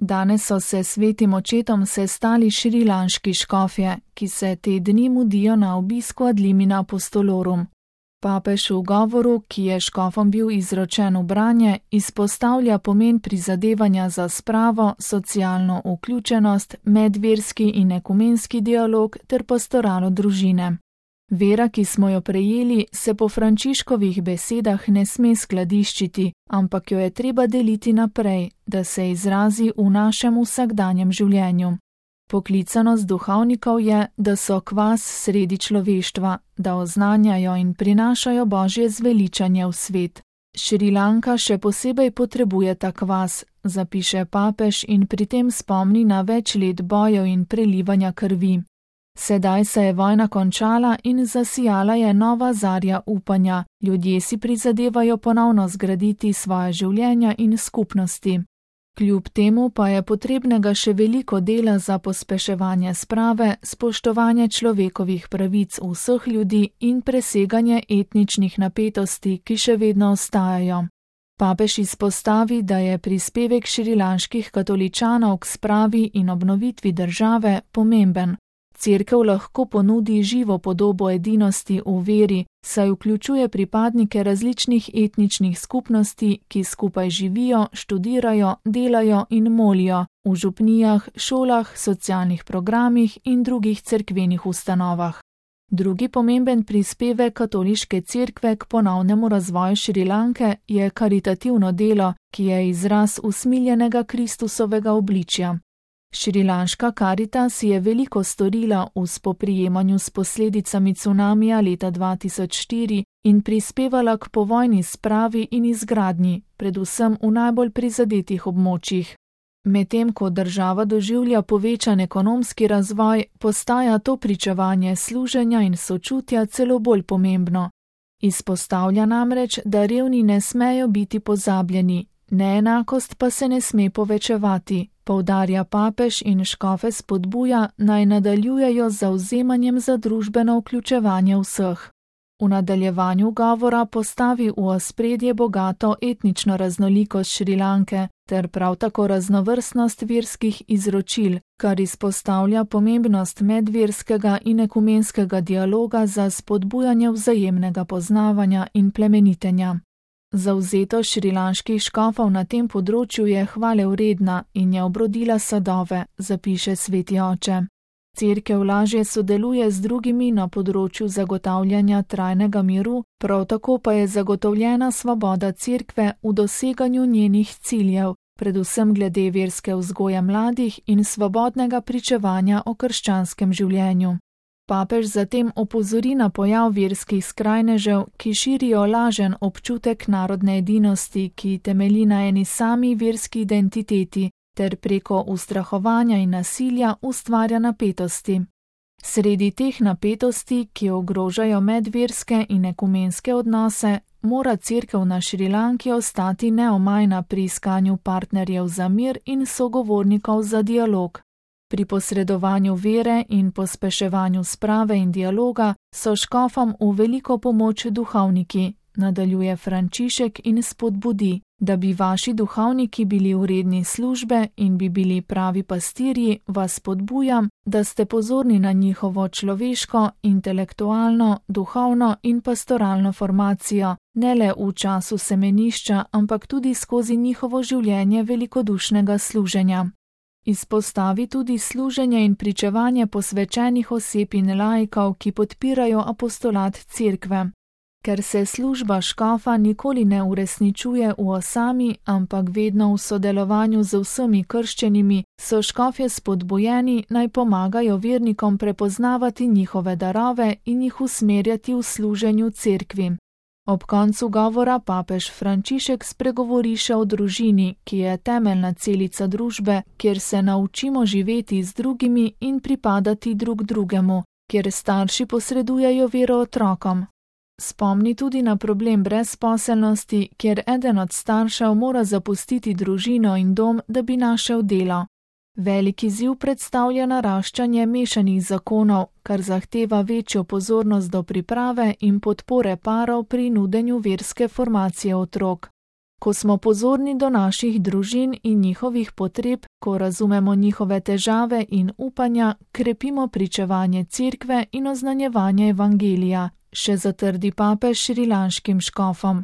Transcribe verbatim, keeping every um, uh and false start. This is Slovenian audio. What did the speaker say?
Danes so se svetim očetom sestali šrilanški škofje, ki se te dni mudijo na obisku ad limina apostolorum. Papež v govoru, ki je škofom bil izročen v branje, izpostavlja pomen prizadevanja za spravo, socialno vključenost, medverski in ekumenski dialog ter pastoralo družine. Vera, ki smo jo prejeli, se po Frančiškovih besedah ne sme skladiščiti, ampak jo je treba deliti naprej, da se izrazi v našem vsakdanjem življenju. Poklicanost duhovnikov je, da so kvas sredi človeštva, da oznanjajo in prinašajo Božje zveličanje v svet. Šrilanka še posebej potrebuje ta kvas, zapiše papež in pri tem spomni na več let bojev in prelivanja krvi. Sedaj se je vojna končala in zasijala je nova zarja upanja, ljudje si prizadevajo ponovno zgraditi svoje življenja in skupnosti. Kljub temu pa je potrebnega še veliko dela za pospeševanje sprave, spoštovanje človekovih pravic vseh ljudi in preseganje etničnih napetosti, ki še vedno ostajajo. Papež izpostavi, da je prispevek šrilanških katoličanov k spravi in obnovitvi države pomemben. Cerkev lahko ponudi živo podobo edinosti v veri, saj vključuje pripadnike različnih etničnih skupnosti, ki skupaj živijo, študirajo, delajo in molijo v župnijah, šolah, socialnih programih in drugih cerkvenih ustanovah. Drugi pomemben prispevek katoliške cerkve k ponovnemu razvoju Šrilanke je karitativno delo, ki je izraz usmiljenega Kristusovega obličja. Šrilanška Karitas je veliko storila v spoprijemanju s posledicami cunamija leta dva tisoč štiri in prispevala k povojni spravi in izgradnji, predvsem v najbolj prizadetih območjih. Medtem ko država doživlja povečan ekonomski razvoj, postaja to pričevanje služenja in sočutja celo bolj pomembno. Izpostavlja namreč, da revni ne smejo biti pozabljeni, neenakost pa se ne sme povečevati. Poudarja papež in škofe spodbuja, naj nadaljujejo z zavzemanjem za družbeno vključevanje vseh. V nadaljevanju govora postavi v ospredje bogato etnično raznolikost Šrilanke ter prav tako raznovrstnost verskih izročil, kar izpostavlja pomembnost medverskega in ekumenskega dialoga za spodbujanje vzajemnega poznavanja in plemenitenja. Zavzetost šrilanških škofov na tem področju je hvalevredna in je obrodila sadove, zapiše sveti oče. Cerkev lažje sodeluje z drugimi na področju zagotavljanja trajnega miru, prav tako pa je zagotovljena svoboda cerkve v doseganju njenih ciljev, predvsem glede verske vzgoje mladih in svobodnega pričevanja o krščanskem življenju. Papež zatem opozori na pojav verskih skrajnežev, ki širijo lažen občutek narodne edinosti, ki temelji na eni sami verski identiteti, ter preko ustrahovanja in nasilja ustvarja napetosti. Sredi teh napetosti, ki ogrožajo medverske in ekumenske odnose, mora cerkev na Šrilanki ostati neomajna pri iskanju partnerjev za mir in sogovornikov za dialog. Pri posredovanju vere in pospeševanju sprave in dialoga so škofom v veliko pomoč duhovniki, nadaljuje Frančišek in spodbudi, da bi vaši duhovniki bili vredni službe in bi bili pravi pastirji, vas spodbujam, da ste pozorni na njihovo človeško, intelektualno, duhovno in pastoralno formacijo, ne le v času semenišča, ampak tudi skozi njihovo življenje velikodušnega služenja. Izpostavi tudi služenje in pričevanje posvečenih oseb in laikov, ki podpirajo apostolat cerkve. Ker se služba škofa nikoli ne uresničuje v osami, ampak vedno v sodelovanju z vsemi krščenimi, so škofje spodbujeni, naj pomagajo vernikom prepoznavati njihove darove in jih usmerjati v služenju cerkvi. Ob koncu govora papež Frančišek spregovori še o družini, ki je temeljna celica družbe, kjer se naučimo živeti z drugimi in pripadati drug drugemu, kjer starši posredujejo vero otrokom. Spomni tudi na problem brezposelnosti, kjer eden od staršev mora zapustiti družino in dom, da bi našel delo. Veliki izziv predstavlja naraščanje mešanih zakonov, kar zahteva večjo pozornost do priprave in podpore parov pri nudenju verske formacije otrok. Ko smo pozorni do naših družin in njihovih potreb, ko razumemo njihove težave in upanja, krepimo pričevanje cerkve in oznanjevanje evangelija, še zatrdi papež šrilanškim škofom.